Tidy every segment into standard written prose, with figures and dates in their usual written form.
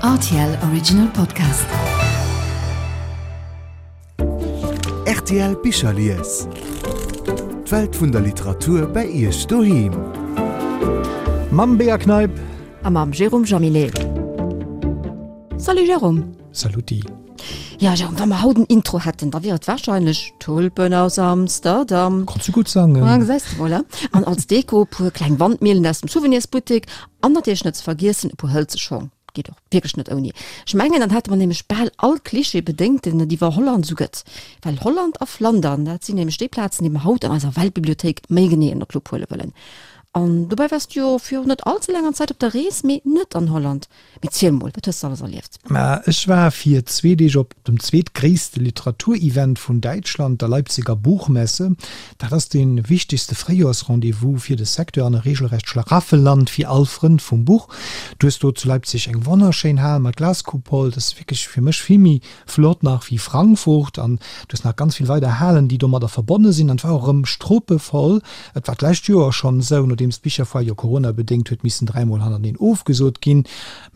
Rtl Original Podcast. Rtl Bicherlies. D'Welt vun der Literatur bei Iech doheem. Mam Bea Kneip. A mam Jérôme Jaminet. Salut Jérôme. Saluti. Ja Jérôme, wa mer haut en Intro hätten, da wier et warscheinlech Tulpen aus Amsterdam. Kanns du gutt sangen. Ah, gesäis de mol, An als Deko e puer kleng Wandmillen aus dem Souvenirsbuttek an natierlech net ze vergiessen e puer hëlze Schong. Geet och wierklech net ouni. Ech mengen, dann hätte mer nämlech bal all Klischee bedéngt, deen et iwwer Holland esou gëtt. Well Holland a Flandern, dat sinn nämlech déi Plazen, déi mer haut an eiser Weltbibliothéik méi genee ënner d'Lupp huele wëllen. An dobäi waars du jo virun net all ze laanger Zäit op der Rees, mee net an Holland. Mee ziel mol, wat hues de alles erlieft? Ma ech war fir zwee Deeg op dem zweetgréisste Literaturevent vun Däitschland, der Leipziger Buchmesse. Dat ass dee wichtegste Fréijoers-Rendez-vous fir de Secteur an e regelrecht Schlaraffenland fir all Frënd vum Buch. Du hues do zu Leipzig eng wonnerschéin Hal mat Glaskupol, dat ass wierklech fir mech vill méi flott nach wéi Frankfurt an du hues nach ganz vill weider Halen, déi domadder verbonne sinn an et war och erëm struppevoll. Et war d'lescht Joer schonn esou, nodeems d'Bicherfoire jo coronabedéngt huet missen dräimol hannerteneen ofgesot ginn.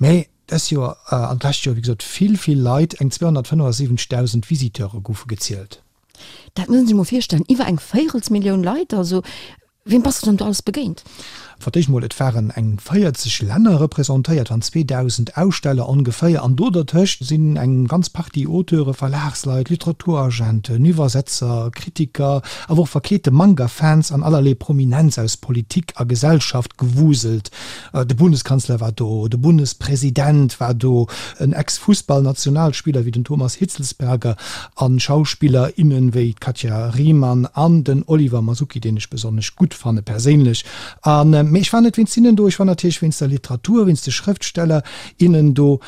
Mä dës Joer an d'lescht Joer, wéi gesot, vill, vill Leit, eng 275.000 Visiteure goufe gezielt. Dat muss een sech mol virstellen, iwwer eng Véirelsmillioun Leit! Also Weem bass de dann do alles begéint? Fir d'éischt mol, et waren eng 40 Länner representéiert, waren 2.000 Aussteller ongeféier, an do dertëscht sinn eng ganz Partie Auteure, Verlagsleit, Literaturagenten, Iwwersetzer, Kritiker, awer och verkleete Manga-Fans an allerlee Prominenz aus Politik a Gesellschaft gewuselt. De Bundeskanzler war do, de Bundespresident war do, en Ex-Fussballnationalspiller wéi den Thomas Hitzlsperger a Schauspiller, innen wéi d'Katja Riemann an den Oliver Masucci, deen ech besonnesch gutt fanne perséinlech. A mee ech war net wéinst hinnen do, ech war natierlech wéinst der Literatur, wéinst de Schrëftsteller, innen do.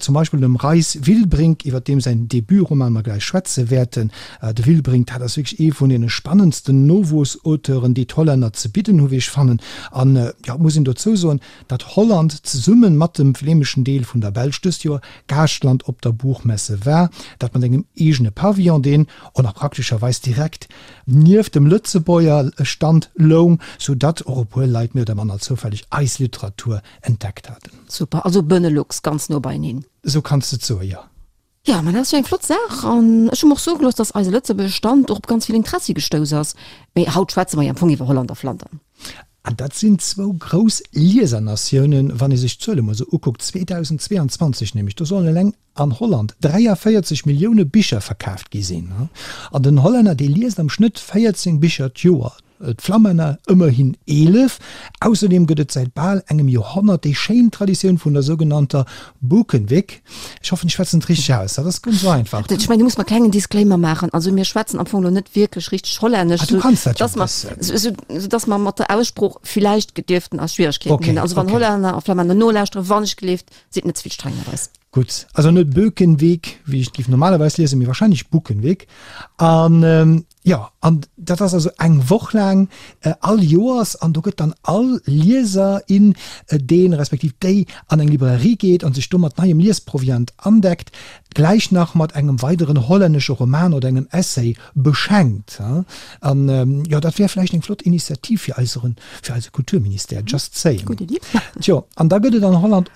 Zum Beispill dem Reis Wilbrink, iwwer deem säin Debutroman mer gläich schwätze wäerten. De Wilbrink, dat ass wierklech ee vun deene spannendsten Nowuessauteuren, déi d'Hollänner ze bidden hu wéi ech fannen. An, jo, et muss een dozou soen, datt Holland zesumme mat dem flämeschen Deel vun der Belsch dëst Joer Gaaschtland op der Buchmesse war, dat mat engem eegene Pavillon, deen och nach praktescherweis direkt nieft dem Lëtzebuerger Stand loung, soudatt och e puer Leit méi oder manner zoufälleg eis Literatur entdeckt haten. Super, also Benelux ganz no beieneen. Esou kanns de et soen, jo. Jo, mä dat ass jo eng flott Saach an ech hu mer och soe gelooss, dass eise lëtzebuergesche Stand och op ganz vill Interessi gestouss ass. Mee haut schwätze mer jo am Fong iwwer Holland a Flandern. An dat sinn zwou grouss Liesernatiounen, wann ee sech d'Zuele mol esou ukuckt, 2022 nämlech, do sollen eleng an Holland 43 Millioune Bicher verkaaft gi sinn. An den Hollänner, dee liest am Schnëtt 14 Bicher d'Joer. D'Flammänner ëmmerhin 11. Ausserdeem gëtt et säit bal engem Joerhonnert déi schéin Traditioun vun der sougenannter Boekenweek. Ech hoffen, ech schwätzen et richteg aus. Dat ass guer net esou einfach. Ech mengen, du muss mer klengen Disclaimer maachen. Also mir schwätzen am Fong elo net wierklech richteg Hollännesch, Ah, du kanns dat jo e bëssen. Sou dass mer mat der Aussprooch villäicht dierften eis Schwieregkeeten hunn. Also wann Hollänner a Flammänner nolauschteren, wannechgelift, sidd net ze vill streng mat eis. Gutt, also net Bökenweek, wéi ech et géif normalerweis liesen, mee wahrscheinlech Bukenweek. An jo, an dat ass also eng Woch laang all Joers an do gëtt dann all Lieser, in, deen respektiv déi an eng Librairie geet an sech do mat neiem Liesproviant andeckt, gläich nach mat engem weideren hollännesche Roman oder engem Essay beschenkt. An jo, dat wär vläicht eng flott Initiativ fir eiseren, fir eise Kulturministère, just saying. Gutt Iddi. Tjo, an da gëtt et an Holland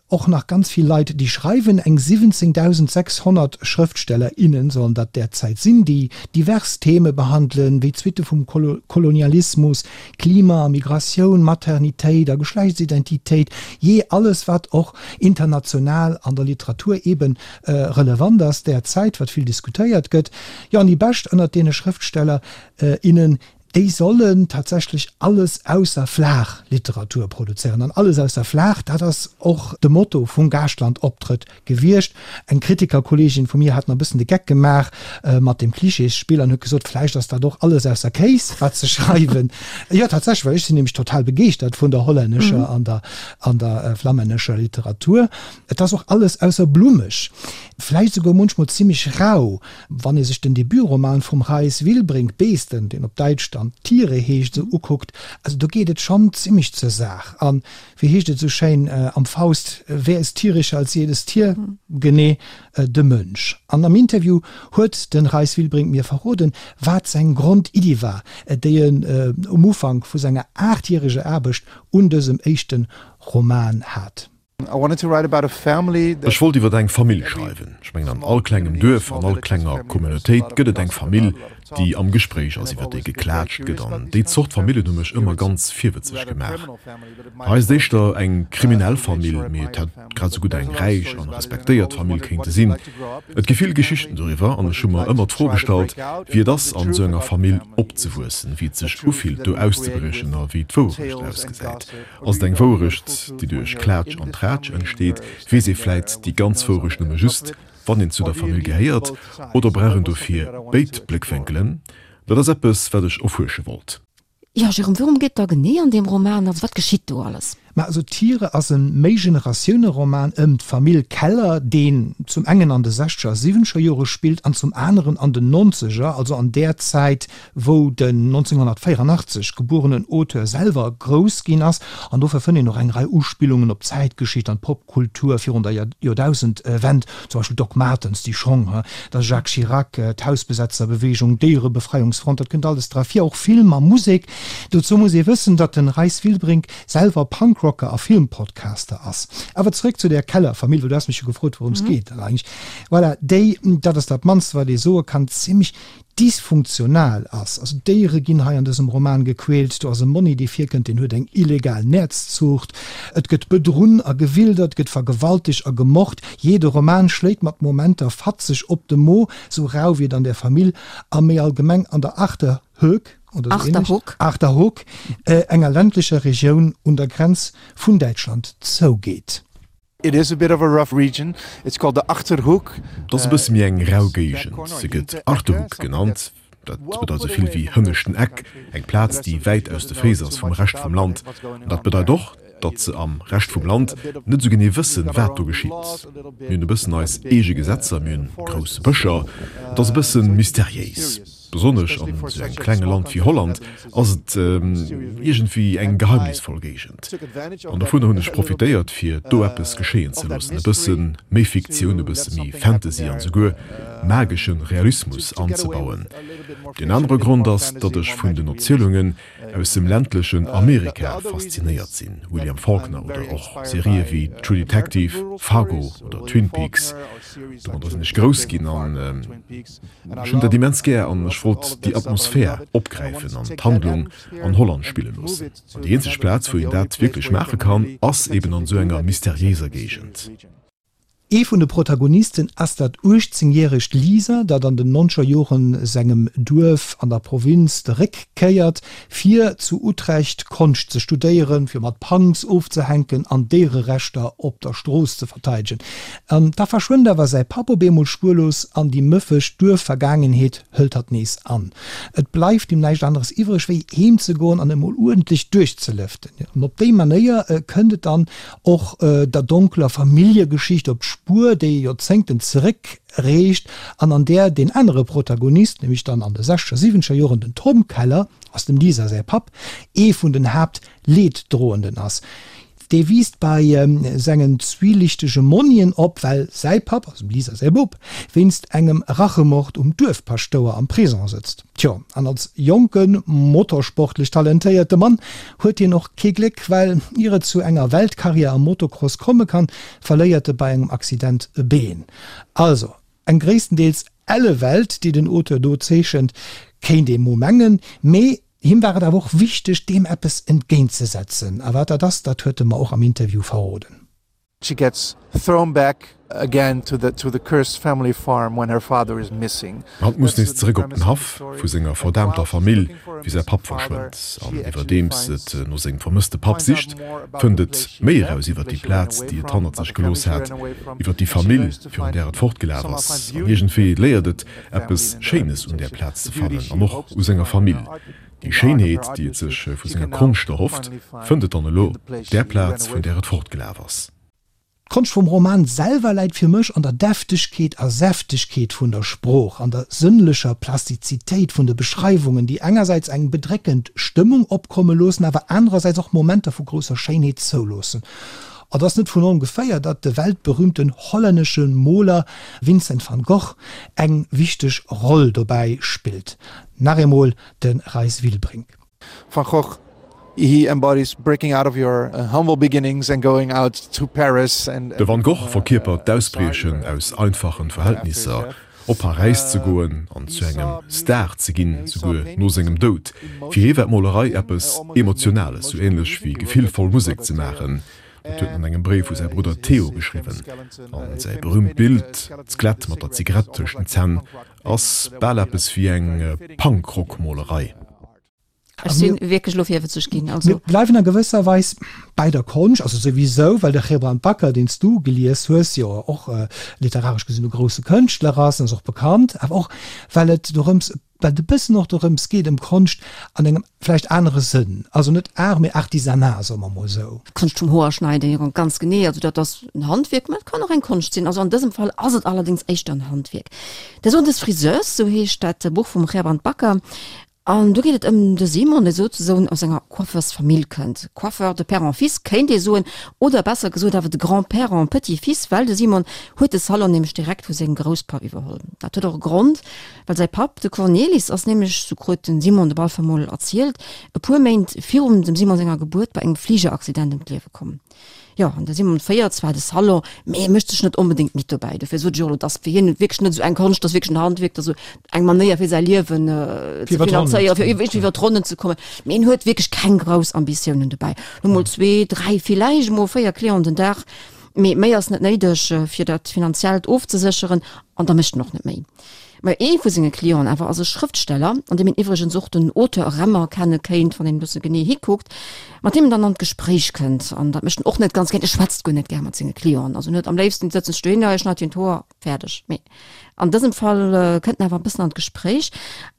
och nach ganz vill Leit, déi schreiwen. Eng 17.600 Schrëftsteller, innen sollen dat derzäit sinn, déi divers Theme behandelen, wéi d'Suitte vum Kolonialismus, Klima a Migratioun, Maternitéit a Geschlechtsidentitéit, jee alles, wat och international an der Literatur eeben relevant ass derzäit, wat vill diskutéiert gëtt. Jo, an déi Bescht ënnert deene Schrëftsteller, innen, déi sollen tatsächlech alles ausser flaach Literatur produzéieren. An alles ausser flaach, dat ass och de Motto vum Gaaschtland-Optrëtt gewiescht. Eng Kritikerkolleegin vu mir hat nach e bëssen de Geck gemaach mat deem Klischeesspill an huet gesot, vläicht ass dat och alles ausser Kéis, wat se schreiwen. Jo, tatsächlech, well ech sinn nämlech total begeeschtert vun der hollännescher an der an der flammännescher Literatur. Et ass och alles ausser blummeg, vläicht esouguer munchmol zimmlech rau. Wann ee sech den Debutroman vum Reis Wilbrink, Beesten, deen op Däitsch dann Tiere heescht, esou ukuckt, also do geet et schonn zimmlech zur Saach. A wéi heescht et esou schéin am Faust, Wer ist tierischer als jedes Tier? Genee, de Mënsch. An am Interview huet de Reis Wilbrink mir verroden, wat seng Grondiddi war, déi en um Ufank vu senger aachtjäreger Aarbecht un dësem éischte Roman hat. Ech wollt iwwer eng Famill schreiwen. Ech mengen an all klengem Duerf, an all klenger Communautéit gëtt et eng Famill, déi am Gespréich ass, iwwer déi geklaatscht gëtt. An déi Zort Famillen hu mech ëmmer ganz virwëtzeg gemaach. Hei ass et éischter eng kriminell Famill, mee et hätt grad esou gutt eng räich an respektéiert Famill kéinte sinn. Et gi vill Geschichten doriwwer an ech hu mer ëmmer d'Fro gestallt, wéi et ass, an esou enger Famill opzewuessen, wéi et sech ufillt, do auszebriechen a wéi d'Wouerecht ausgesäit. Ass et eng Wouerecht, déi duerch Klaatsch an Traatsch entsteet? Weess ee vläit déi ganz Wouerecht nëmme just, wann een zu der Famill gehéiert? Oder brauch een dofir béid Bléckwénkelen? Dat ass eppes, wat ech erfuersche wollt. Jo, Jérôme, wourëm geet et da genee an deem Roman? Also, wat geschitt do alles? Ma also Tiere ass e Méigeneratioune-Roman ëm d'Famill Keller, deen zum engen an de sechzeger a siwwenzeger Jore spillt an zum aneren an den nonzeger, also an där Zäit, wou den 1984 gebuerenen Auteur selwer grouss ginn ass, an dofir fënnt een och eng Rei Uspillungen op d'Zäitgeschicht an d'Popkultur virun der Joerdausendwend, zum Beispill Doc Martens, déi Schong, da Jacques Chirac, d'Hausbesetzerbewegung, d'Déierebefreiungsfront, dat kënnt alles dra vir, och Film a Musek. Dozou muss ee wëssen, datt den Reis Wilbrink selwer Punkrocker a Filmpodcaster ass. Awer zeréck zu der Keller-Famill, well du has mech jo gefrot, wourëms geet et eigentlech. Voilà, déi, dat ass dat mannste wat ee soe kann, zimmlech dysfunktional ass. Also d'Déiere ginn hei an dësem Roman gequält, do ass e Monni dee virkënnt, deen huet eng illegal Näerzzuucht, et gëtt bedrunn a gewildert, et gëtt vergewaltegt a gemort. Jee, de Roman schléit mat Momenter fatzeg op de Mo, sou rau wéi et an der Famill a méi allgemeng an der Achterhoek, oder sou ähnlech, Achterhoek, enger ländlecher Regioun un der Grenz vun Däitschland zougeet. It is a bit of a rough region. It's called the Achterhoek. Et ass e bësse méi eng rau Géigend. Se gëtt Achterhoek genannt. Dat bedeit esou vill wéi hënneschten Eck, eng Plaz, déi wäit aus de Féiss ass vum Rescht vum Land. An dat bedeit och, datt se am Rescht vum Land net esou genee wëssen, wat do geschitt. Mir hunn e bëssen eis eege Gesetzer, mir hunn grouss Bëscher. Et ass e bësse mysteriéis. Besonnesch an esou engem klenge Land wéi Holland ass et iergendwéi eng geheimnisvoll Géigend. An dovunner hunn ech profitéiert, fir do eppes geschéien ze loossen, e bësse méi Fiktioun, e bësse méi Fantasy an esouguer magesche Realismus anzebauen. Deen anere Grond ass, datt ech vun den Erzielungen aus dem ländlechen Amerika faszinéiert sinn, William Faulkner oder och Serië wéi True Detective, Fargo oder Twin Peaks. Domadder sinn ech grouss ginn an ech hunn dat immens gär an ech wollt déi Atmosphär opgräifen an d'Handlung an Holland spille loossen. An déi eenzeg Plaz, wou een dat wierklech maache kann, ass eben an esou enger mysteriéiser Géigend. Ee vun de Protagonisten ass dat 18 järegt Lisa, dat an den nonzeger Joren sengem Duerf an der Provinz de Réck kéiert, fir zu Utrecht Konscht ze studéieren, fir mat Punks ofzehänken an Déiererechter op der Strooss ze verteidegen. An da verschwënnt awer säi Papp op eemol spuerlos an déi mëffeg Duerfvergaangenheet hëlt hatt nees an. Et bleift him näischt aneres iwwreg, wéi heem ze goen an emol uerdentlech duerchzelëften. An op déi Manéier kënnt et dann och der donkeler Familljegeschicht op d'Spuer, déi Joerzéngten zeréck reecht an an där deen anere Protagonist, nämlech dann an de sechzeger, siwwenzeger Joren den Tom Keller, ass dem Lisa säi Papp, ee vun den Haaptleeddroenden ass. Dee wiisst bei sengen zwielichtege Monnien op, well säi Papp, also dem Lisa säi Bop, wéinst engem Rachemord um Duerfpaschtouer am Prison sëtzt. Tjo, an als jonke motorsportlech talentéierte Mann huet hien och kee Gléck, well ier et zu enger Weltkarriär am Motocross komme kann, verléiert e bei engem Accident e Been. Also eng gréisstendeels elle Welt, déi den Auteur do zeechent, kéint ee mo mengen, mee him war et awer och wichteg, deem eppes entgéintzesetzen. A wat dat ass, dat huet e mer och am Interview verroden. She gets thrown back again to the to the cursed family farm when her father is missing. Hatt muss nees zeréck op den Haff vu senger verdaamter Famill, wéi säi Papp verschwënnt. An iwwerdeems et no sengem vermësste Papp sicht, fënnt et méi eraus iwwer déi Plaz, déi et hannert sech gelooss hat, iwwer déi Famill, virun där et fortgelaf ass. An iergendwéi léiert et, eppes Schéines un där Plaz ze fannen an och u senger Famill. Déi Schéinheet, déi et sech vu senger Konscht erhofft, fënnt et dann elo op där Plaz, vun där et fortgelaf ass. D'Konscht vum Roman selwer läit fir mech an der Deftegkeet a Säftegkeet vun der Sprooch, an der sënnlecher Plastizitéit vun de Beschreiwungen, déi engersäits eng bedréckend Stëmmung opkomme loossen, awer anerersäits och Momenter vu grousser Schéinheet zouloossen. Et ass net vun ongeféier, datt de weltberühmten hollännesche Moler Vincent van Gogh eng wichteg Roll dobäi spillt. Nach eemol de Reis Wilbrink. Van Gogh. He embodies breaking out of your humble beginnings and going out to Paris and. De Van Gogh verkierpert d'Ausbriechen aus einfachen Verhältnisser, op Paräis ze goen an zu engem Star ze ginn, souguer no sengem Doud. Fir hie war d'Molerei eppes Emotionales, sou änlech wéi gefillvoll Musek ze maachen. Dat huet en an engem Bréif u säi Brudder Theo geschriwwen. An säi berüümt Bild, d'Skelett mat der Zigarett tëscht den Zänn, ass bal eppes wéi eng Punk-Rock-Molerei. Ech sinn wierklech elo virwëtzeg ginn. Also. Mir bleiwen a gewësser Weis bäi der Konscht, also souwisou, well de Gerbrand Bakker, deen s du gelies hues, jo och literaresch gesinn e grousse Kënschtler ass, en ass och bekannt, awer och well et dorëms, well et e bëssen och dorëms geet, ëm Konscht an engem vläicht anere Sënn, also net Art, mee Artisanat, soe mer mol esou. Konscht vum Hoerschneiden, jo, ganz genee. Also dat ass en Handwierk, mä et kann och eng Konscht sinn. Also an dësem Fall ass et allerdéngs éischter en Handwierk. Der Sohn des Friseurs, sou heescht dat Buch vum Gerbrand Bakker. An do geet et ëm de Simon, dee souzesoen aus enger Coiffeursfamill kënnt. Coiffeur de père en fils kéint ee soen, oder besser gesot awer de grand-père en petit-fils, well de Simon huet de Salon nämlech direkt vu sengem Grousspapp iwwerholl. Dat huet och e Grond, well säi Papp, de Cornelis, ass nämlech, sou krut den Simon de Balfer mol erzielt, e puer Méint virum dem Simon senger Gebuert bei engem Fligeraccident ëm d'Liewe komm. Jo, an de Simon féiert zwar de Salon, mee e mécht sech net onbedéngt midd dobäi. Dofir sot ech och elo, dass fir hien wierklech net esou eng Konscht ass, wierklech en Handwierk, dass esou eng Manéier fir säi Liewen ze finanzéieren, fir iwwer iwwer d'Ronnen ze kommen. Mee en huet wierklech keng grouss Ambitiounen dobäi. Hu mol zwee, dräi, villäicht emol véier Clienten den Dag, mee méi ass net néideg, fir dat Finanziellt ofzesécheren, an da mécht en och net méi. Mä ee vu senge Clienten awer ass e Schrëftsteller, an deem een iwwregens och den Auteur eremerkenne kéint, wann een e bësse genee hikuckt, mat deem en dann an d'Gespréich kënnt. An dat mécht en och net ganz gär, e schwätzt guer net gär mat senge Clienten. Also en huet am léifsten, déi sëtzen sech dohinner, e schneit hinnen d'Hoer, fäerdeg. Mee an dësem Fall kënnt en awer e bëssen an d'Gespréich.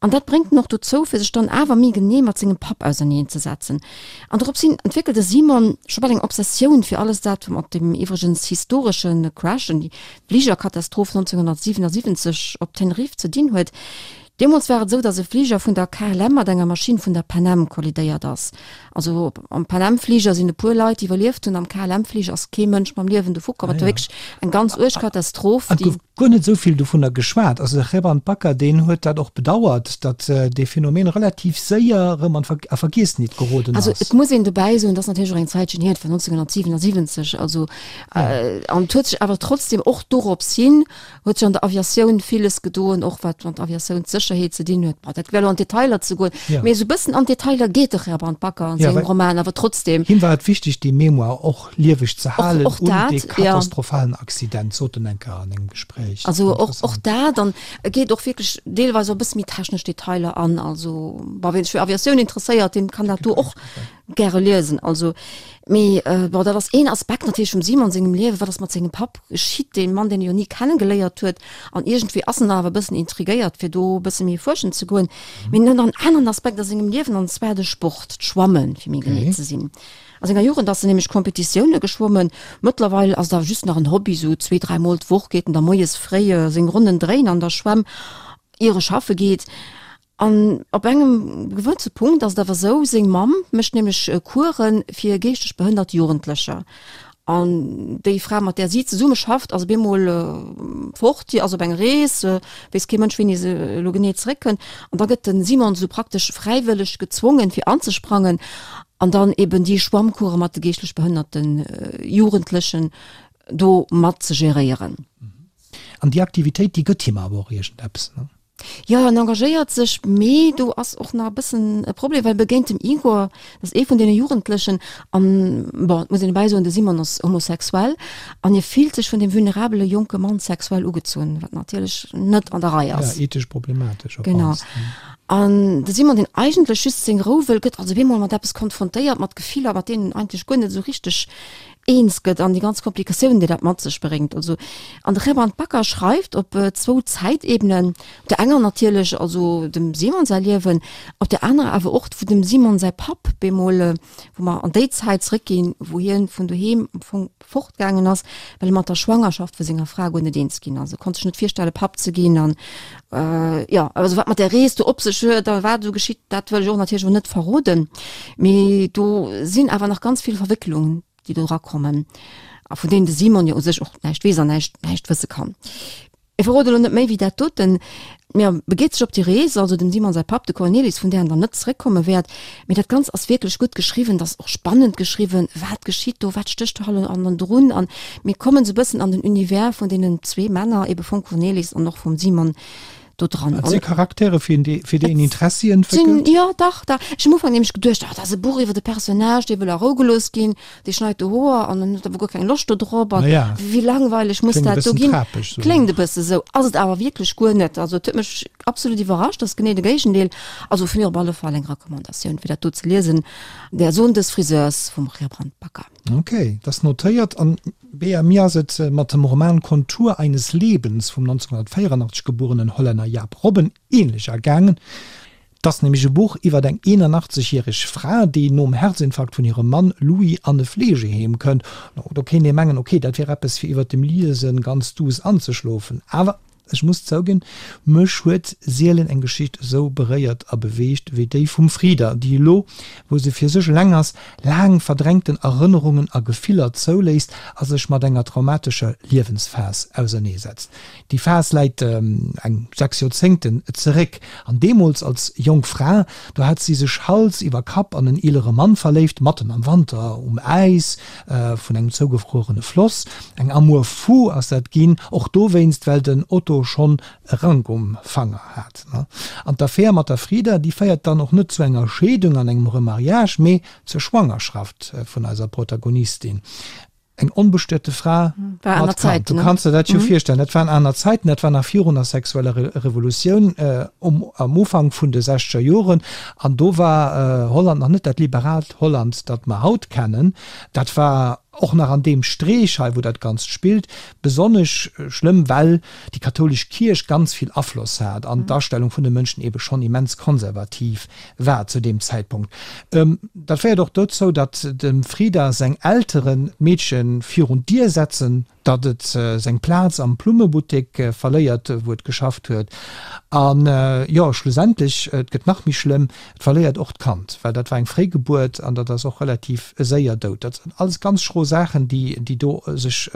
An dat bréngt en och dozou, fir sech dann awer méi genee mat sengem Papp auserneenzesetzen. An dorops hin entwéckelt de Simon scho bal eng Obsessioun fir alles dat mat dem iwwregens historesche Crash, Fligerkatastroph 1977 op Tenerife ze dinn huet. Deemools war et esou, datt e Fliger vun der KLM mat enger Maschinn vun der Pan Am kollidéiert ass. Also am Pan Am Fliger sinn e puer Leit, déi iwwerlieft hunn, am KLM Fliger ass kee Mënsch mam Liewen dovu komm. Et war wierklech eng ganz uerg Katastroph, déi. Et gouf guer net esou vill dovunner geschwat. Also de Gerbrand Bakker, deen huet dat och bedauert, datt dee Phänomen relativ séier erëm an a Vergiessenheet geroden ass. Also et muss een dobäi soen, et ass natierlech och eng Zäitchen hier, et war 1977, also An et huet sech awer trotzdem och dorops hin, huet sech an der Aviatioun villes gedoen, och wat mat Aviatiounssécherheet ze dinn huet. Bon, dat wär elo an d'Detailer ze goen, mee esou e bëssen an d'Detailer geet de Gerbrand Bakker an sengem Roman awer trotzdem. Him war et wichteg, déi Mémoire och lieweg ze halen un dee katastrophalen Accident, sot en eng Kéier an engem Gespréich. Also och dat, an e geet och wierklech deelweis och e bësse méi technesch Detailer an. Also, bon, wien sech fir Aviatioun interesséiert, deen kann dat do och gäre liesen. Also, mee bon, dat ass een Aspekt natierlech vum Simon sengem Liewen, wat ass mat sengem Papp geschitt, dee Mann, deen e jo ni kennegeléiert huet. An iergendwéi ass en awer e bëssen intrigéiert, fir do e bësse méi fuerschen ze goen. Mee en huet nach en aneren Aspekt a sengem Liewen, an zwar de Sport, d'Schwammen, fir méi genee ze sinn. A senger Jugend ass en nämlech Kompetitioune geschwommen. Mëttlerweil ass et awer just nach en Hobby, sou zwee, dräi Mol d'Woch geet en da moies fréi seng Ronnen dréien an der Schwämm, ier e schaffe geet. An op engem gewësse Punkt ass et awer esou, seng Mamm mécht nämlech Course fir geeschteg behënnert Jugendlecher. An déi Fra, mat där si zesumme schafft, ass op eemol fort, déi ass op eng Rees, weess kee Mënsch, wéini se elo genee zeréckkënnt. An da gëtt de Simon esou praktesch fräiwëlleg gezwongen, fir anzesprangen an dann eben déi Schwammcourse mat de geeschtlech behënnerte Jugendlechen do mat ze geréieren. An déi Aktivitéit, déi gëtt him awer och iergendeppes, ne? Jo, en engagéiert sech, mee do ass och nach e bëssen e Problem, well e begéint dem Igor, dat ass ee vun deene Jugendlechen, an, bon, et muss een dobäi soen, de Simon ass homosexuell, an hie fillt sech vun deem vulnerabele jonke Mann sexuell ugezunn, wat natierlech net an der Rei ass. Ja, ethesch problematesch op Genau. mannst. An de Simon, deen eigentlech just seng Rou wëll, gëtt also op eemol mat eppes konfrontéiert, mat Gefiller, mat deenen en eigentlech guer net esou richteg eens gëtt an déi ganz Komplikatiounen, déi dat mat sech bréngt. Also, an de Gerbrand Bakker schreift op zwou Zäitebenen, op der enger natierlech also dem Simon säi Liewen, op der anerer awer och wou dem Simon säi Papp bemol, wou mer an déi Zäit zréckginn, wou hien vun doheem am Fong fortgaangen ass, well e mat der Schwangerschaft vu senger Fra guer net eens ginn ass. E konnt sech net virstelle Papp ze ginn an jo, also wat mat där Rees do op sech huet a wat esou geschitt, dat wëll ech och natierlech och net verroden. Mee do sinn awer nach ganz vill Verwécklungen, déi do erakommen a vun deenen de Simon jo u sech och näischt weess an näischt, näischt wësse kann. Ech verrode lo net méi wéi dat doten. Mee e begeet sech op déi Rees, also dem Simon säi Papp, de Cornelis, vun där en dann net zeréckkomme wäert. Mee dat Ganzt ass wierklech gutt geschriwwen, dat ass och spannend geschriwwen, wat geschitt do, wat stécht do hannendrun? An mir kommen esou e bëssen an den Univers vun deenen zwee Männer, ebe vum Cornelis an och vum Simon do dran. Et si Charaktere fir déi een Interessi entwéckelt? Jo, dach, dach. Ech hunn am Ufank nämlech geduecht, oh, dat ass e Buch iwwer e Personnage, dee wëll a Rou gelooss ginn. Dee schneit de Hoer an en huet awer guer keng Loscht do drop an ja. wéi langweileg muss Kléngt e dat do bëssen ginn. trapeg sou. Kléngt e bësse sou, ass et awer wierklech guer net. Also et huet mech absolut iwwerrascht, ass genee de Géigendeel. Also vu mir op alle Fall eng Recommandatioun fir dat do ze liesen, Der Sohn des Friseurs vum Gerbrand Bakker. Ok, dat ass notéiert. An Bea, mir ass et mat dem Roman Kontur eines Lebens vum 1984 gebuerenen Hollänner Jaap Robben ähnlech ergaangen. 't ass nämlech e Buch iwwert eng 81 järeg Fra, déi nom Herzinfarkt vun hirem Mann Louis an e Fleegeheem kënnt. Do kéint ee mengen, ok, dat wier eppes fir iwwert dem Liesen ganz duuss anzeschlofen. Awer ech muss zouginn, mech huet sielen eng Geschicht esou beréiert a beweegt wéi déi vum Frida, déi elo, wou se fir sech eleng ass, laang verdrängten Erënnerungen a Gefiller zouléisst a sech mat enger traumatescher Liewensphas auserneesetzt. Déi Phas läit eng 6 Joerzéngten zeréck. An deemools als jonk Fra, do hat si sech Hals iwwer Kapp an en eelere Mann verléift, matten am Wanter um Äis vun engem zougefruerene Floss. Eng Amour fou ass dat ginn, och dowéinst, well den Otto schonn e Rank um Fanger hat. An d'Affär mat der Frida, déi féiert dann och net zu enger Scheedung an engem Remariage, mee zur Schwangerschaft vun eiser Protagonistin. Eng onbestuete Fra mat Kand. Du kanns der dat jo virstellen. Dat waren aner Zäiten, dat war nach virun der sexueller Revolutioun am Ufank vun de sechzeger Joren. An do war Holland nach net dat liberaalt Holland, dat mer haut kennen. Dat war och nach an deem Streech hei, wou dat Ganzt spillt, besonnesch schlëmm, well déi kathoulesch Kierch ganz vill Afloss hat an d'Astellung vun de Mënschen eebe schonn immens konservativ war zu deem Zäitpunkt. Dat féiert och dozou, datt dem Frida seng Elteren d'Meedche virun d'Dier setzen, datt et seng Plaz am Plummebuttek verléiert, wou et geschafft huet. An jo, schlussendlech, et gëtt nach méi schlëmm, et verléiert och d'Kand, well dat war eng Fréigebuert an dat ass och relativ séier dout. Dat sinn alles ganz schro Saachen, déi do sech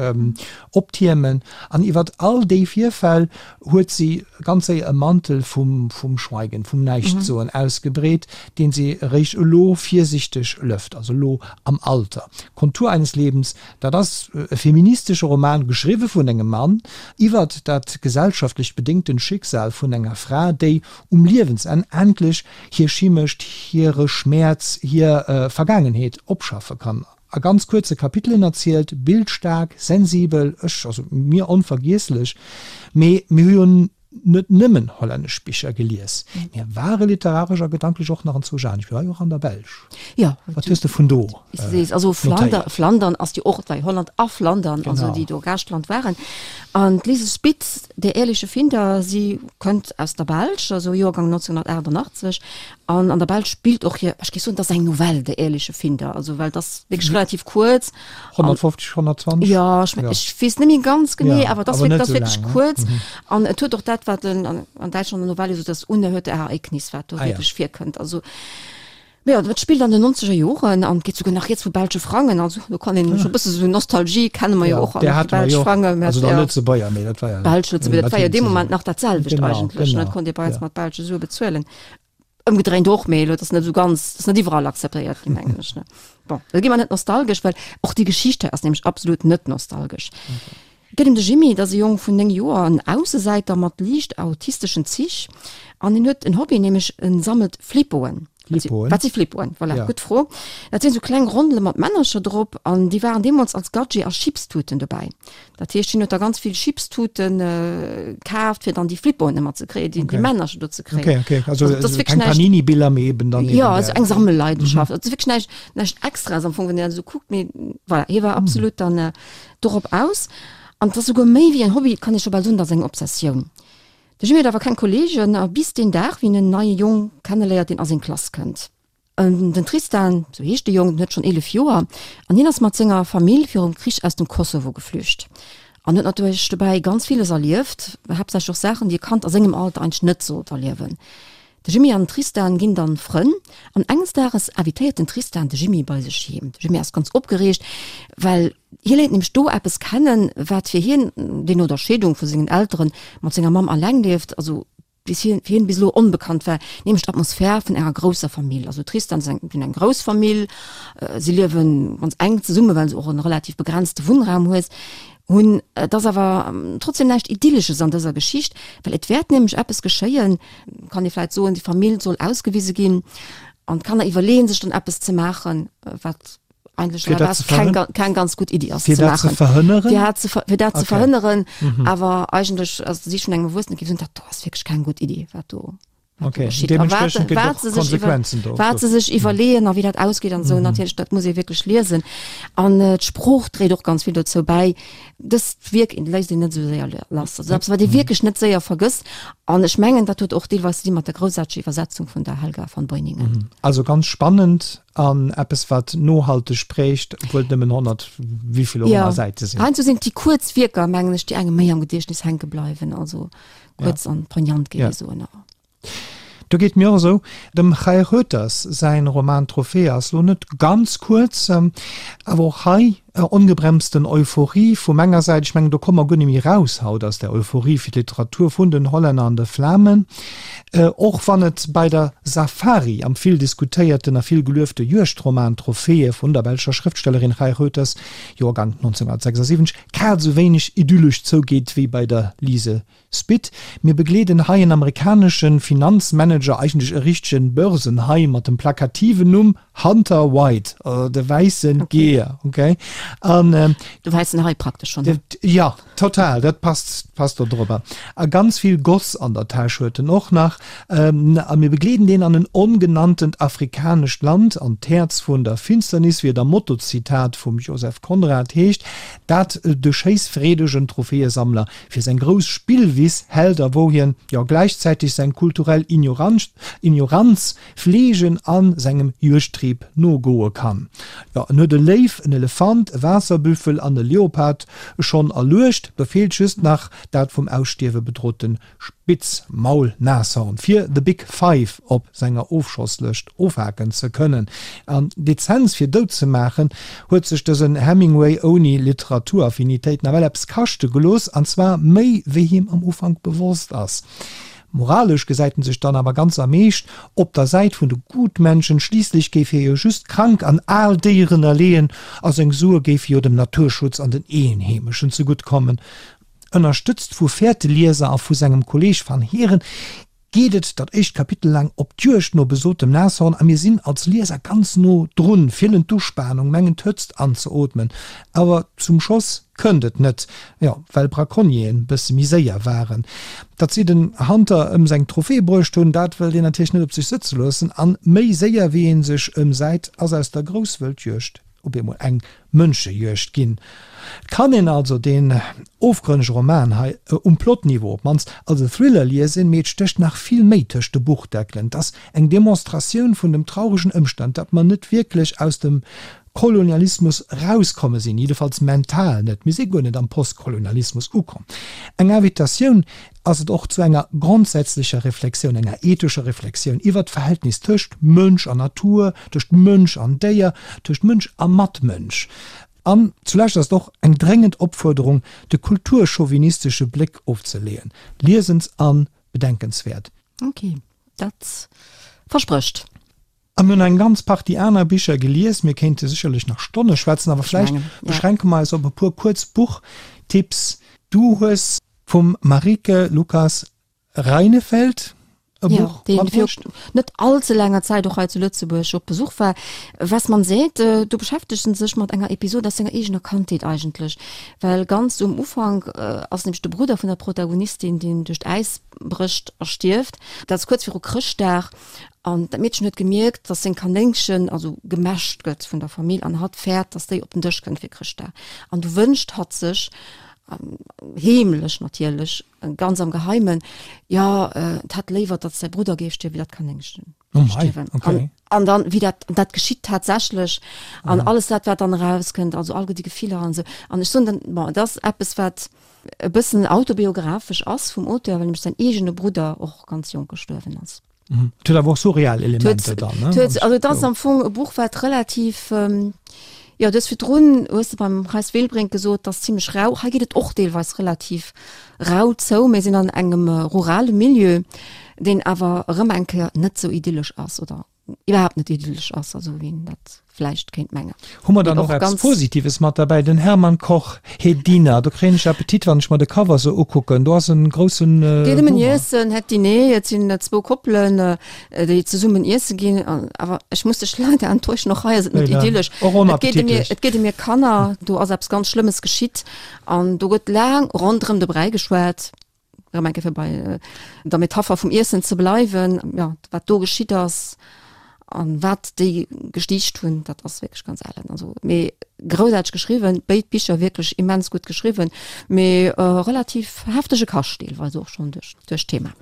optiermen. An iwwert all déi Virfäll huet si ganz séier e Mantel vum vum Schweigen, vum Näischtsoen ausgebreet, deen si eréischt elo virsichteg lëft, also elo am Alter. Kontur eines Lebens, dat ass e feministesche Roman, geschriwwe vun engem Mann, iwwert dat gesellschaftlech bedéngten Schicksal vun enger Fra, déi um Liewensenn endlech hir Schimecht, hire Schmäerz, hir Vergaangenheet opschaffe kann. A ganz kuerze Kapitelen erzielt, bildstaark, sensibel, ech, also mir onvergiesslech. Mee mir hu jo net nëmmen hollännesch Bicher gelies, mir ware literaresch a gedanklech och nach anzwousch anescht. Mir ware jo och an der Belsch. Jo. Wat hues de vun do notéiert? Also Flandern, Flandern ass jo och, et war jo Holland a Flandern, also déi do Gaaschtland waren. An d'Lize Spit, Der ehrliche Finder, si kënnt aus der Belsch, also Joergang 1988, An an der Belsch spillt och hir, ech géif soen, dat ass eng Novell, Der ehrliche Finder, also well dat ass wierklech relativ kuerz. 150, 120? Jo, ech meng, ech weess net méi ganz genee, awer dat ass wierklech kuerz. An et huet och dat, wat en an Däitschland an der Novell esou das unerhörte Ereignis, wat do wierklech virkënnt. Also, mee jo, dat spillt an den nonzeger Joren an et geet souguer nach rieds vu belsche Frangen. Also do kann een scho e bësse sou Nostalgie kenne mer jo och all, déi belsch Frangen. Also der Lëtzebuerger, mee dat war jo. Belsch, Lëtzebuerger, dat war jo dee Moment nach dat selwecht eigentlech, ne? Et konnt ee bei eis mat belsche Sue bezuelen. Ëmgedréint och, mee elo, dat ass net esou ganz, dat ass net iwwerall akzeptéiert ginn, mengen ech, ne? Bon, da gi mer net nostalgesch, well och déi Geschicht hei ass nämlech absolut net nostalgesch. Et geet ëm de Jimmy, dat ass e Jong vun 9 Joer, en Aussesäiter mat liicht autisteschen Zich an hien huet en Hobby, nämlech en sammelt Flippoen. Flippoen? Wat si Flippoen? Voilà, ja. gutt Fro. Dat sinn esou kleng Rondele mat Männercher drop an déi waren deemools als Gadget a Chipstuten dobäi. Dat heescht, hien huet da ganz vill Chipstuten kaaft, fir dann déi Flippoen ëmmer ze kréien, déi, déi Männercher do ze kréien. Okay, okay. Also, also, das keng Panini-Biller, mee eben dann. Ja, also eng Sammelleidenschaft. Mhm. Also wierklech näischt, näischt Extraes am Fong, wann een dat esou kuckt, mee voilà, hie war absolut dann äh, dorop aus. An dat ass souguer méi wéi en Hobby, kann ee scho bal soen, dat ass eng Obsessioun. De Jimmy huet awer keng Kolleegen, a bis deen Dag, wéi en en neie Jong kenneléiert, deen a seng Klass kënnt. Den Tristan, sou heescht de Jong, den huet schonn 11 Joer an hien ass mat senger Famill virum Krich aus dem Kosovo geflücht an huet natierlech dobäi ganz villes erlieft, haaptsächlech och Saachen, déi e Kand a sengem Alter eigentlech net sollt erliewen. De Jimmy an den Tristan ginn dann Frënn an enges Dages invitéiert den Tristan de Jimmy bei sech heem. De Jimmy ass ganz opgereegt, well hie léiert nämlech do eppes kennen, wat fir hien, deen no der Scheedung vu sengen Elteren mat senger Mamm alleng lieft, also bis hien, fir hien bis elo onbekannt war, nämlech d'Atmosphär vun enger grousser Famill. Also Tristan seng hunn eng grouss Famill, si liewen ganz enk zesummen, well se och en relativ begrenzte Wunnraum hues hunn. Et ass awer trotzdem näischt Idyllesches an dëser Geschicht, well et wäert nämlech eppes geschéien, kann ee vläit soen, déi Famill soll ausgewise ginn an d'Kanner iwwerleeën sech dann eppes ze maachen, wat eigentlech Fir dat ze keng, verhën- keng ganz gutt Iddi ass Fir ze dat ze maachen. verhënneren? Fir dat ze ver- fir dat ze Okay. verhënneren, awer eigentlech, also si vun engem Erwuessene géif soen, dat do ass wierklech keng gutt Iddi, wat do wat Okay, do geschitt. A wat deementspriechend gëtt wat och se sech iwwer Konsequenzen do. wat se sech iwwerleeën a wéi dat ausgeet an esou, natierlech, dat muss ee wierklech liesen. An d'Sprooch dréit och ganz vill dozou bäi. Dëst Wierk léisst een net esou séier lass. Also eppes, wat ee wierklech net séier vergësst. An ech mengen, dat huet och deelweis ze di mat der groussaarteger Iwwersetzung vun der Helga von Beuningen. Also ganz spannend. An eppes wat nohalteg prägt, obwuel et nëmmen 100 wéivill och ëmmer Säite sinn. Heiansdo sinn et déi kuerz Wierker, mengen ech, déi engem méi am Gediechtnes hänke bleiwen. Also kuerz an poignant, géif ee soen. Do geet mir och esou. Dem Chair Reuters säin Roman Trophäe ass lo net ganz kuerz, awer och hei Ongebremsten Euphorie vu menger Säit. Ech mengen, do komme mer guer net méi raus haut aus där Euphorie fir d'Literatur vun den Hollänner an de Flamen. Och wann et bei der Safari am vill diskutéierten a vill geluefte Juegdroman Trophäe vun der belscher Schrëftstellerin Chai Reuters, Joergang 1976, grad esou wéineg idyllesch zougeet wéi bei der Liese Spit, Mir begleeden hei en amerikanesche Finanzmanager, eigentlech e richtegen Börsenhai mat dem plakativen Numm Hunter White, also de wäisse Geeër, okay? An De wäissen Hai praktesch schonn. Jo, total, dat passt, passt do drop. A ganz vill Goss an der Täsch huet en och nach. A mir begleeden deen an en ongenanntent afrikanescht Land, an d'Häerz vun der Finsternis, wéi et am Motto-Zitat vum Joseph Conrad heescht, dat de schéissfreedegen Trophäesammler fir seng grouss Spillwiss hält a wou hien, jo, gläichzäiteg seng kulturell Ignoranz fleegen a sengem Juegdtrieb nogoe kann. Jo, en huet e Léiw, en Elefant, e Waasserbüffel an e Leopard schonn erluecht, do feelt just nach dat vum Ausstierwe bedrote Spitzmaulnashorn, fir The Big Five op senger Ofschosslëscht ofhaken ze kënnen. An d'Lizenz fir dout ze maachen, huet sech dësen Hemingway ouni Literaturaffinitéit nawell eppes kaschte gelooss, an zwar méi wéi him am Ufank bewosst ass. Moralesch gesäit en sech dann awer ganz am Eescht op der Säit vun de Gutmenschen, schliisslech géif hie jo just krank an al Déieren erleeën a seng Sue géife jo dem Naturschutz an den Eenheemeschen zegutt kommen. Ënnerstëtzt vu Fäertelieser a vu sengem Kolleeg Van Heeren geet et dat éischt Kapitel laang op d'Juegd no besotem Nashorn a mir sinn als Lieser ganz no drun, fillen d'Uspanung, mengen d'Hëtzt anzeootmen. Awer zum Schoss kënnt et net, jo, well Braconnieren bësse méi séier waren. Datt si den Hunter ëm seng Trophée bruecht hunn, dat wëllt een natierlech net op sech sëtze loossen an méi séier wéi ee sech ëmsäit, ass aus der Grousswëldjuegd op eemol eng Mënschejuegd ginn. Et kann een also deen ofgrënnege Roman hei, um Plotniveau op d'mannst, als e Thriller liesen, mee et stécht nach vill méi tëscht de Buchdeckelen. Et ass eng Demonstratioun vun dem trauregen Ëmstand, datt mer net wierklech aus dem Kolonialismus erauskomme sinn, jiddefalls mental net, mir si guer net am Postkolonialismus ukomm. Eng Invitatioun ass et och zu enger grondsätzlecher Reflexioun, enger ethescher Reflexioun iwwert d'Verhältnis tëscht Mënsch an Natur, tëscht Mënsch an Déier, tëscht Mënsch a Matmënsch. An zulescht ass et och eng dréngend Opfuerderung, de kulturchauvinistesche Bléck ofzeleeën. Liesens a bedenkenswäert. Ok, dat versprécht. A mir hunn eng ganz Partie aner Bicher gelies. Mir kéinte sécherlech nach Stonne schwätzen, awer vläicht beschränke mer eis op e puer kuerz Buchtipps. Du hues vum Marieke Lucas Rijneveld e Buch matbruecht. Jo, deen vir net all ze laanger Zäit och hei zu Lëtzebuerg op Besuch war. Was man sät, do beschäftegt en sech mat enger Episod aus senger eegener Kandheet eigentlech. Well ganz um Ufank ass nämlech de Brudder vun der Protagonistin, deen duerch d'Äis brécht a stierft. Dat ass kuerz viru Chrëschtdag. An dat Meedchen huet gemierkt, dass seng Kanéngchen also gemäscht gëtt vun der Famill an hatt fäert, dass déi op den Dësch kënnt fir Chrëschtdag. An du wënscht hatt sech, heemlech natierlech, ganz am Geheimen, jo, et hätt léiwer, datt säi Brudder géif stierwen, wéi dat Kanéngchen stierwen. Okay. An, an dann, wéi dat, an dat geschitt tatsächlech an alles dat, wat dann erauskënnt, also all déi Gefiller an esou. An ech soen dann, bon, et ass eppes, wat e bëssen autobiographesch ass vum Auteur, well nämlech säin eegene Brudder och ganz jonk gestuerwen ass. Et huet awer och surreal Elementer dann, ne? Et huet, also et ass am Fong e Buch, wat relativ, jo, du hues virdrun, hues de beim Reis Wilbrink gesot, et ass zimlech rau. Hei geet et och deelweis relativ rau zou. Mir sinn an engem rurale Milieu, deen awer erëm eng Kéier net sou idyllesch ass oder iwwerhaapt net idyllesch ass, esou wéi een dat vläicht kéint mengen. Hu mer dann och eppes Positives mat derbäi, den Hermann Koch, Het Diner, do kréien ech Appetit wann ech mer de Cover sou ukucken, do ass en groussen Hummer. Geet ëm en Iessen, Het Diner, et sinn zwou Koppelen déi zesummen iesse ginn, awer ech muss dech leider enttäuschen, och hei ass et net idyllesch. Och onappetitlech. Et geet ëm hir Kanner, do ass eppes ganz Schlëmmes geschitt an do gëtt laang ronderëm de Bräi geschwat. Erëm eng Kéier fir bei der Metapher vum Iessen ze bleiwen, jo, wat do geschitt ass an wat déi gestiicht hunn, dat ass wierklech ganz ellen. Also, mee groussaarteg geschriwwen, béid Bicher wierklech immens gutt geschriwwen, mee relativ heftege Kascht deelweis och schonn duerch duerch d'Thema.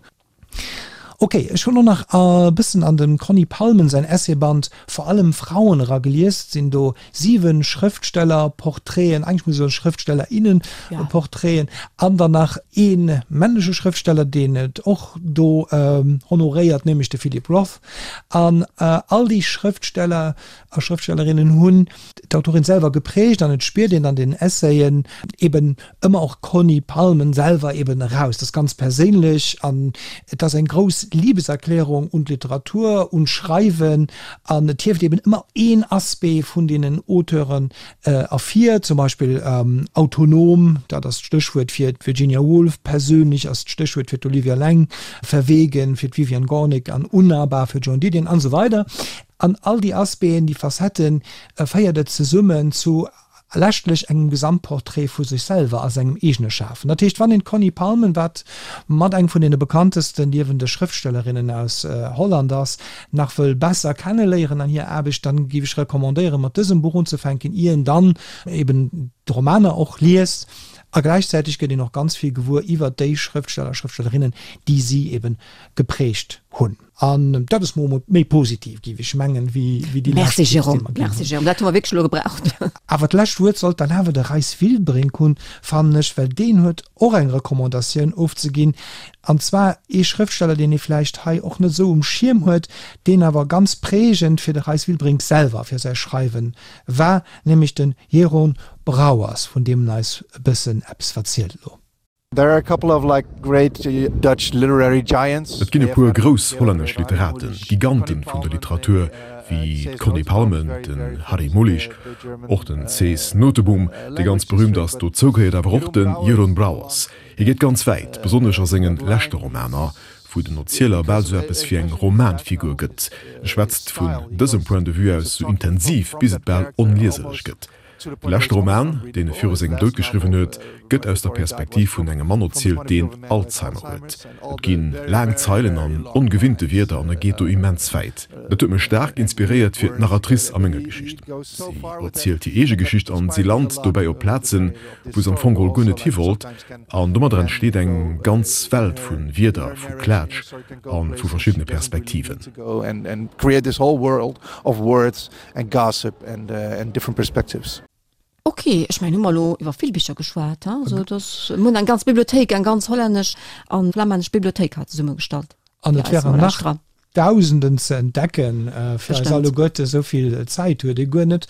Ok, ech hunn och nach e bëssen an dem Conny Palmen säin Essayband Vor allem Frauen eragelies. Et sinn do 7 Schrëftstellerportraiten, eigentlech muss ech soen Schrëftstellerinnenportraiten, an dann nach ee männleche Schrëftsteller, deen et och do honoréiert, nämlech de Philip Roth. An all déi Schrëftsteller a Schrëftstellerinnen hunn d'Autorin selwer geprägt an et spiert een an den Essayen eben ëmmer och d'Conny Palmen selwer eben eraus. Dat ass ganz perséinlech an et ass eng grouss Liebeserklärung un d'Literatur, un d'Schreiwen an et hieft eben ëmmer een Aspect vun deenen Auteuren ervir, zum Beispill autonom, dat ass d'Stéchwuert fir d'Virginia Woolf, persönlich ass d'Stéchwuert fir d'Olivia Laing, verwegen fir d'Vivian Gornick an unnahbar fir d'Joan Didion an esou weider. An all déi Aspecten, déi Facetten féiert et zesummen zu leschtlech engem Gesamtporträt vu sech selwer a sengem eegene Schafen. Dat heescht, wann een d'Conny Palmen, wat mat eng vun deene bekanntesten liewende Schrëftstellerinnen aus Holland ass, nach wëll besser kenneléieren an hir Aarbecht, dann géif ech recommandéieren, mat dësem Buch unzefänken, ier een dann eben d'Romaner och liest. A gläichzäiteg gëtt een och ganz vill gewuer iwwert déi Schrëftsteller a Schrëftstellerinnen, déi si eben geprägt hunn. An dat ass mol méi positiv, géif ech mengen, wéi déi lescht Merci Jérôme, merci Jérôme, dat hu mer wierklech elo gebraucht. Awer d'lescht Wuert sollt dann awer de Reis Wilbrink hunn, fannen ech, well deen huet och eng Recommandatioun ofzeginn, an zwar ee Schrëftsteller, deen ee vläicht hei och net esou um Schierm huet, deen awer ganz prägend fir de Reis Wilbrink selwer, fir säi Schreiwen war, nämlech de Jeroen Brouwers, vun deem en eis e bëssen eppes verzielt elo. There are a couple of like great Dutch literary giants. Et ginn e puer grouss hollännesch Literaten, Giganten vun der Literatur, wéi d'Conny Palmen, den Harry Mulisch, och den Cees Nooteboom, dee ganz berüümt ass. Dozou gehéiert awer och de Jeroen Brouwers. Hie geet ganz wäit, besonnesch a senge leschte Romaner, wou den Erzieler bal sou eppes wéi eng Romanfigur gëtt. E schwätzt vun dësem Point de vue aus sou intensiv, bis et bal onlieserlech gëtt. De leschte Roman, deen e viru sengem Doud geschriwwen huet, gëtt aus der Perspektiv vun engem Mann erzielt, deen Alzheimer huet. Et gi laang Zeilen an ongewinnte Wierder an e geet do immens wäit. Dat huet mech staark inspiréiert fir d'Narratrice a menger Geschicht. Si erzielt hir eege Geschicht an si lant dobäi op Plazen, wou se am Fong geholl guer net hi wollt. An domadder entsteet eng ganz Welt vu Wierder, vu Klaatsch a vu verschiddene Perspektiven. And gossip and and different perspectives. Ok, ech mengen hu mer elo iwwer vill Bicher geschwat, he? Also et ass, mir hunn eng ganz Bibliothéik, eng ganz hollännesch a flamännesch Bibliothéik hei zesummegestallt An et wären nach Dausenden ze entdecken fir eis alleguerte, esou vill Zäit huet ee guer net.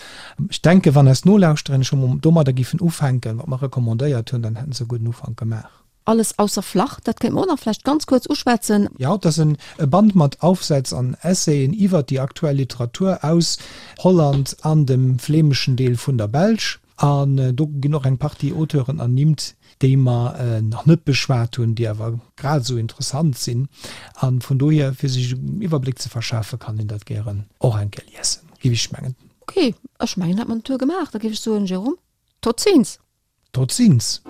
Ech denken, wann eis Nolauschterinnen scho mol domadder giffen ufänken, wat mer recommandéiert hunn, dann hätten se e gudden Ufank gemaach. Alles ausser flach, dat kéint mer och nach vläicht ganz kuerz uschwätzen. Jo, et ass e Band mat Aufsätz an Essayen iwwert déi aktuell Literatur aus Holland an dem flämeschen Deel vun der Belsch. An do ginn och eng Partie Auteuren ernimmt, déi mer nach net beschwat hunn, déi awer grad esou interessant sinn. A vun dohier, fir sech en Iwwerbléck ze verschafen, kann een dat gären och eng Kéier liesen, géif ech mengen. Ok, ech mengen, hätt mer den Tour gemaach. Da géif ech soen, Jérôme, tot ziens! Tot ziens!